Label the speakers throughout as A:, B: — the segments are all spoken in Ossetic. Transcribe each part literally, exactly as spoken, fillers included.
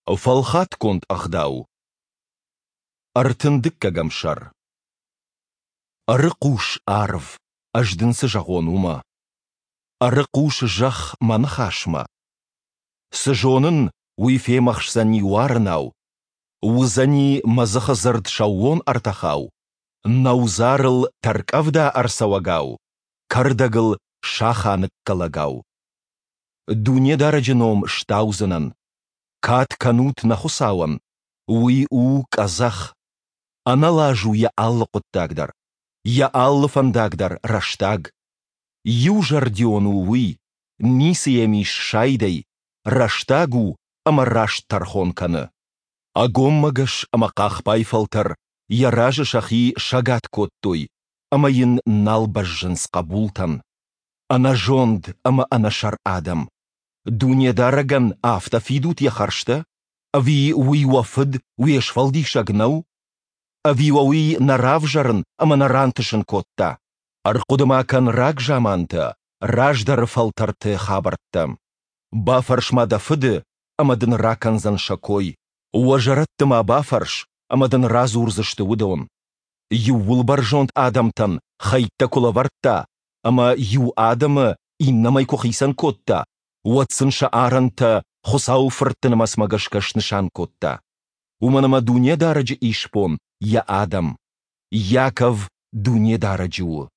A: Фӕлхатгонд ӕгъдау. Ӕртын дыккӕгӕм сӕр. Ӕрыхъус, арв, ӕз дын цы зӕгъон, уымӕ. Ӕрыхъус, зӕхх, мӕ ныхасмӕ. Цы зонын, уый фемӕхсдзӕни уарынау, уыдзӕни мӕ дзыхы дзырд сӕууон ӕртӕхау, нӕудзарыл тӕрккъӕвда ӕрцӕуӕгау, кӕрдӕгыл саха ныккӕлӕгау. Дунедарӕджы ном стаудзынӕн. Кад кӕнут нӕ Хуыцауӕн, Уый у къӕдзӕх. Ӕнӕлаз у йӕ алы хъуыддаг дӕр, йӕ алы фӕндаг дӕр рӕстаг. Иузӕрдион у Уый, ницы йӕм ис сайдӕй, рӕстаг у ӕмӕ раст тӕрхон кӕны. Ӕгоммӕгӕс ӕмӕ хъахбай фӕлтӕр йӕ разы сӕхи сӕгад кодтой ӕмӕ йын нал бӕззынц хъӕбултӕн. Ӕнӕзонд ӕмӕ ӕнӕсӕр адӕм! Дунедарӕгӕн афтӕ фидут йӕ хӕрзтӕ? Ӕви уый уӕ Фыд, уе Сфӕлдисӕг нӕу? Ӕви уӕ уый нӕ равзӕрын ӕмӕ нӕ рантысын кодта? Ӕрхъуыды-ма кӕн рагзамантӕ, раздӕры фӕлтӕрты хабӕрттӕ. Бафӕрс-ма дӕ фыды, ӕмӕ дын ракӕндзӕн сӕ кой. Уӕ зӕрӕдты-ма бафӕрс, ӕмӕ дын радзурдзысты уыдон. Иууылбӕрзонд адӕмтӕн хӕйттӕ куы лӕвӕрдта ӕмӕ иу адӕмы иннӕмӕй куы хицӕн кодта, уӕд сын сӕ арӕнтӕ Хуыцауы фыртты нымӕцмӕ гӕсгӕ снысан кодта. Уымӕн ӕмӕ Дунедарӕджы исбон йӕ адӕм, Иаков Дунедарӕджы у.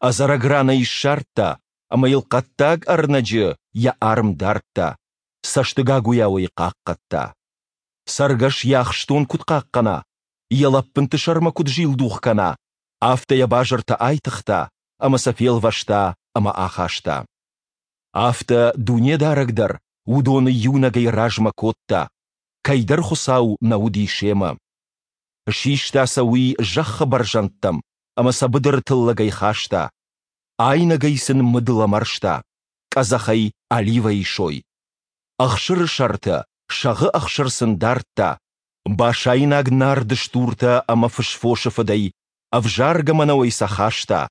A: Ӕдзӕрӕг ран ӕй ссардта ӕмӕ йыл хъӕддаг ӕрнӕджы йӕ арм дардта, цӕстыгагуыйау ӕй хъахъхъӕдта. Цӕргӕс йӕ ахстон куыд хъахъхъӕна, йӕ лӕппынты сӕрмӕ куыд зилдух кӕна, афтӕ йӕ базыртӕ айтыгъта ӕмӕ сӕ фелвӕста ӕмӕ ахаста. Афтӕ Дунедарӕг дӕр уыдоны иунӕгӕй размӕ кодта, кӕйдӕр хуыцау нӕ уыди семӕ. Систа сӕ уый зӕххы бӕрзӕндтӕм ӕмӕ сӕ быдыры тыллӕгӕй хаста, айнӕгӕй сын мыд лӕмӕрста, къӕдзӕхӕй оливӕйы сой. Ӕхсыры сӕртӕ, сӕгъы ӕхсыр сын дардта, басайнаг нард стуртӕ ӕмӕ фысфосы фыдӕй, ӕвзаргӕ мӕнӕуӕй сӕ хаста,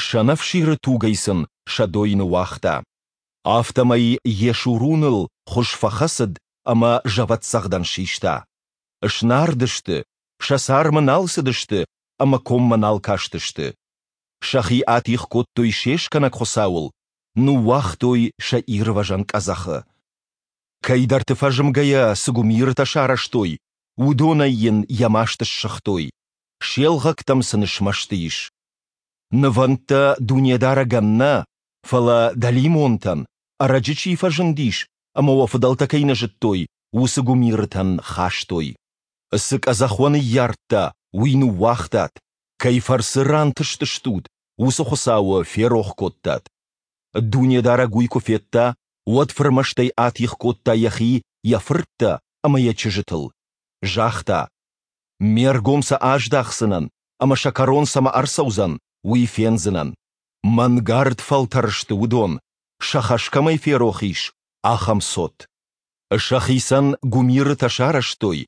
A: сӕнӕфсиры тугӕй сын сӕ дойны уагъта. Афтӕмӕй Йешуруныл хуыз фӕхӕцыд ӕмӕ зӕвӕтдзӕгъдӕн систа. Снард сты, сӕ цармы нал цыдысты ӕмӕ коммӕ нал кастысты. Сӕхи атигъ кодтой се скӕнӕг Хуыцауыл, ныууагътой сӕ ирвӕзӕн къӕдзӕхы. Кӕйдӕрты фӕзмгӕйӕ цы гуымирытӕ сарӕзтой, уыдонӕй йын йӕ маст ссыгътой, се лгъӕгтӕм сын смӕсты ис. Нывӕндтӕ Дунедарӕгӕн нӕ, фӕлӕ дӕлимонтӕн, ӕрӕджы чи фӕзындис ӕмӕ уӕ фыдӕлтӕ кӕй нӕ зыдтой, уыцы гуымирытӕн хастой. Цы къӕдзӕх уӕ ныййардта, уый ныууагътат, кӕй фӕрцы рантыстыстут, уыцы Хуыцауы ферох кодтат. Дунедарӕг уый куы федта, уӕд фырмӕстӕй атигъ кодта йӕхи йӕ фырттӕ ӕмӕ йӕ чызджытыл. Загъта: Ме ргом сӕ аздахдзынӕн, ӕмӕ сӕ кӕрон цӕмӕ ӕрцӕудзӕн, уый фендзынӕн. Мӕнгард фӕлтӕр сты уыдон, сӕ хӕс кӕмӕй ферох ис, ахӕм цот. Сӕхицӕн гуымирытӕ сарӕзтой,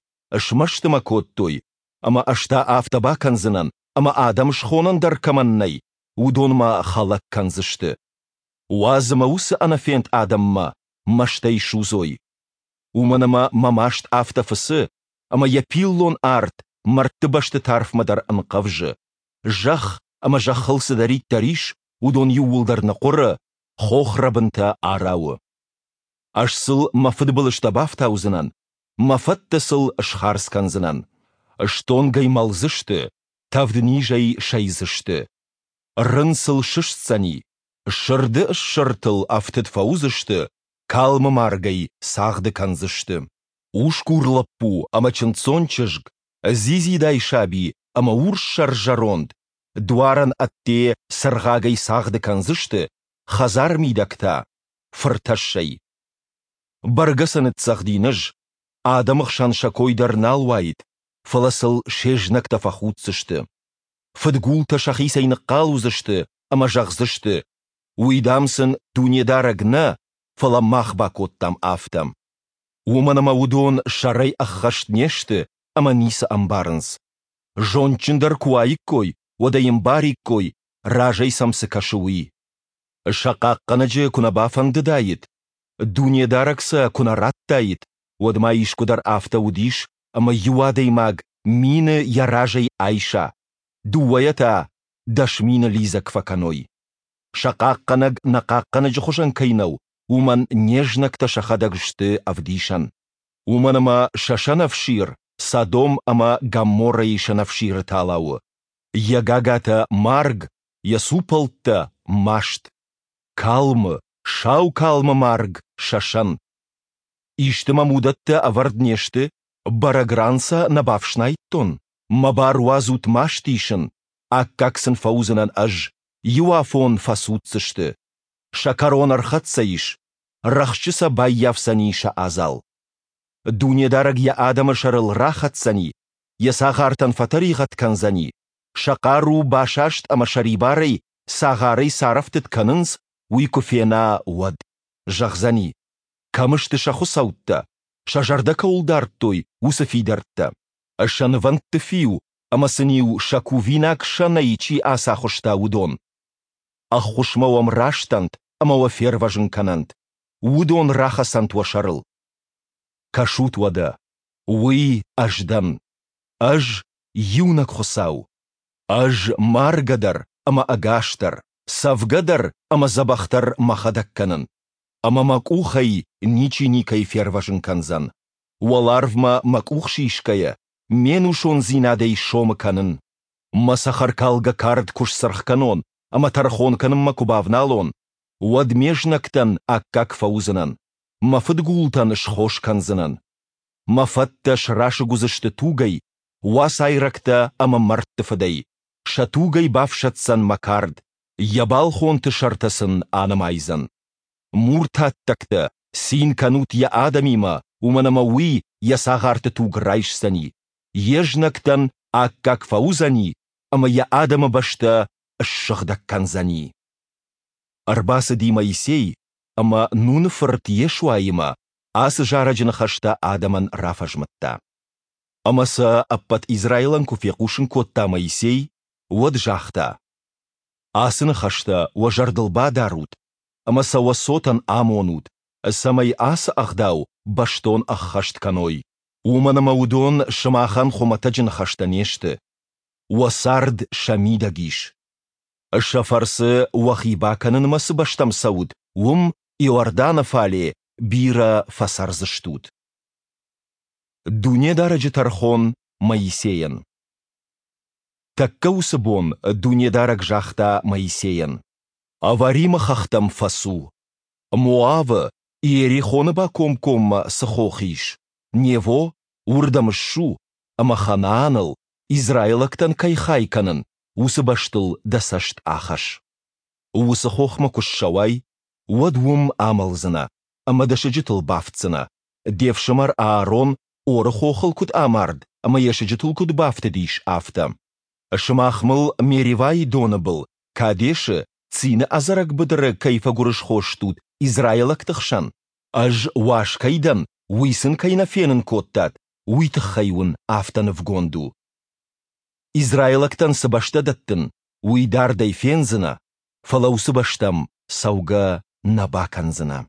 A: смӕсты мӕ кодтой, ӕмӕ ӕз та афтӕ бакӕндзынӕн, ӕмӕ адӕм схонӕн дӕр кӕмӕн нӕй, уыдон мӕ хӕлӕг кӕндзысты. Уадз ӕмӕ уыцы ӕнӕфенд адӕммӕ мӕстӕй судзой. Уымӕн ӕмӕ мӕ маст афтӕ фыцы, ӕмӕ йӕ пиллон арт мӕрдты бӕсты тарфмӕ дӕр ӕнхъӕвзы. Зӕхх ӕмӕ зӕххыл цыдӕриддӕр ис, уыдон иууылдӕр ныхъуыры, хохрӕбынтӕ арауы. Ӕз сыл мӕ фыдбылызтӕ бафтаудзынӕн, мӕ фӕттӕ сыл схардз кӕндзынӕн. Стонгӕй мӕлдзысты, тӕвднизӕй сӕйдзысты. Рын сыл сыстдзӕни, сырды ссыртыл ӕфтыд фӕуыдзысты, калмы маргӕй цагъды кӕндзысты. Усгур лӕппу ӕмӕ чындздзон чызг, дзидзидай саби ӕмӕ урссӕр зӕронд дуарӕн ӕдде цыргъагӕй цагъды кӕндзысты, хӕдзары мидӕг та – фыртӕссӕй. Бӕргӕ сӕ ныццӕгъдин ӕз, адӕмы хсӕн сӕ кой дӕр нал уаид, фӕлӕ сыл се знӕгтӕ фӕхуддзысты. Фыдгултӕ сӕхицӕй ныхъхъал уыдзысты ӕмӕ зӕгъдзысты, уый, дам, сын Дунедарӕг нӕ, фӕлӕ мах бакодтам афтӕ. Уымӕн ӕмӕ уыдон сӕрӕй ӕххӕст не сты ӕмӕ ницы ӕмбарынц. Зондджындӕр куы уаиккой, уӕд ӕй ӕмбариккой, разӕй сӕм цы кӕсы, уый. Сӕ хъахъхъӕнӕджы куы нӕ бафӕндыдаид, Дунедарӕг сӕ куы нӕ радтаид, Уӕд ма искуыдӕр афтӕ уыдис, ӕмӕ иу адӕймаг мины йӕ разӕй айса, дыууӕйӕ та дӕс мины лидзӕг фӕкӕной? Сӕ хъахъхъӕнӕг нӕ хъахъхъӕнӕджы хуызӕн кӕй нӕу, уымӕн не знӕгтӕ сӕхӕдӕг сты ӕвдисӕн. Уымӕн ӕмӕ сӕ сӕнӕфсир Содом ӕмӕ Гоморрӕйы сӕнӕфсиры тала у. Йӕ гагатӕ марг, йӕ цупӕлттӕ маст. Калмы, сау калмы марг сӕ сӕн. Исты мӕм уыдӕттӕ ӕвӕрд не сты, бӕрӕг ран сӕ нӕ бафснайдтон? Мӕ бар уадзут маст исын, аккаг сын фӕуыдзынӕн ӕз, иу афон фӕцуддзысты. Сӕ кӕрон ӕрхӕццӕ ис, рӕхджы сӕ баййафдзӕни сӕ адзал. Дунедарӕг йӕ адӕмы сӕрыл рахӕцдзӕни, йӕ цагъартӕн фӕтӕригъӕд кӕндзӕни, сӕ хъару басаст ӕмӕ сӕрибарӕй цагъарӕй царӕфтыд кӕнынц, уый куы фена, уӕд. Зӕгъдзӕни: Кӕм сты сӕ хуыцӕуттӕ, сӕ зӕрдӕ кӕуыл дардтой, уыцы фидӕрттӕ? Сӕ нывӕндты фиу ӕмӕ сын-иу сӕ кувинаг сӕнӕй чи ацахуыста, уыдон? Ӕххуысмӕ уӕм растӕнт ӕмӕ уӕ фервӕзын кӕнӕнт, уыдон рахӕцӕнт уӕ сӕрыл. Кӕсут уӕдӕ, уый Ӕз дӕн, Ӕз, иунӕг Хуыцау. Ӕз маргӕ дӕр ӕмӕ ӕгас дӕр, цӕвгӕ дӕр ӕмӕ дзӕбӕх дӕр мӕхӕдӕг кӕнын, ӕмӕ мӕ къухӕй ничи никӕй фервӕзын кӕндзӕн. Уӕларвмӕ мӕ къух сисгӕйӕ, ме нусондзинадӕй сомы кӕнын. Мӕ цӕхӕркалгӕ кард куы сцыргъ кӕнон ӕмӕ тӕрхон кӕнынмӕ куы бавналон, уӕд ме знӕгтӕн аккаг фӕуыдзынӕн, мӕ фыдгултӕн схос кӕндзынӕн. Мӕ фӕттӕ срасыг уыдзысты тугӕй, уацайрӕгтӕ ӕмӕ мӕрдты фыдӕй, сӕ тугӕй бафсаддзӕн мӕ кард, йӕ балхонты сӕртӕ сын анымайдзӕн. Муртаттӕгтӕ, цин кӕнут йӕ адӕмимӕ, уымӕн ӕмӕ уый йӕ цагъарты туг райсдзӕни, йе знӕгтӕн аккаг фӕуыдзӕни ӕмӕ йӕ адӕмы бӕстӕ ссыгъдӕг кӕндзӕни. Ӕрбацыди Моисей ӕмӕ Нуны фырт Йешуаимӕ ацы зарӕджы ныхӕстӕ адӕмӕн рафӕзмыдта. Ӕмӕ сӕ ӕппӕт Израилӕн куы фехъусын кодта Моисей, уӕд загъта: Ацы ныхӕстӕ уӕ зӕрдыл бадарут ӕмӕ сӕ уӕ цотӕн амонут, цӕмӕй ацы ӕгъдау бӕстон ӕххӕст кӕной. Уымӕн ӕмӕ уыдон сымахӕн хуымӕтӕджы ныхӕстӕ не сты. Уӕ цард сӕ мидӕг ис. Сӕ фӕрцы уӕхи бакӕнынмӕ цы бӕстӕм цӕут, уым, Иорданы фале, бирӕ фӕцӕрдзыстут. Дунедарӕджы тӕрхон Моисейӕн. Тӕккӕ уыцы бон Дунедарӕг загъта Моисейӕн: Аваримы хӕхтӕм фӕцу. Моавы, Иерихоны бакомкоммӕ цы хох ис, Нево, уырдӕм ссу ӕмӕ Ханааныл, израилӕгтӕн кӕй хай кӕнын, уыцы бӕстыл дӕ цӕст ахӕсс. Уыцы хохмӕ куы ссӕуай, уӕд уым амӕлдзынӕ ӕмӕ дӕ сыджытыл бафтдзынӕ, де фсымӕр Аарон Оры хохыл куыд амард ӕмӕ йӕ сыджытыл куыд бафтыдис, афтӕ. Сымах мыл Меривайы доны был, Кадешы, Цины ӕдзӕрӕг быдыры кӕй фӕгуырысхо стут израилӕгты хсӕн, ӕз уаз кӕй дӕн, уый сын кӕй нӕ фенын кодтат, уый тыххӕй уын афтӕ нывгонд у. Израилӕгтӕн цы бӕстӕ дӕттын, уый дардӕй фендзынӕ, фӕлӕ уыцы бӕстӕм цӕугӕ нӕ бакӕндзынӕ.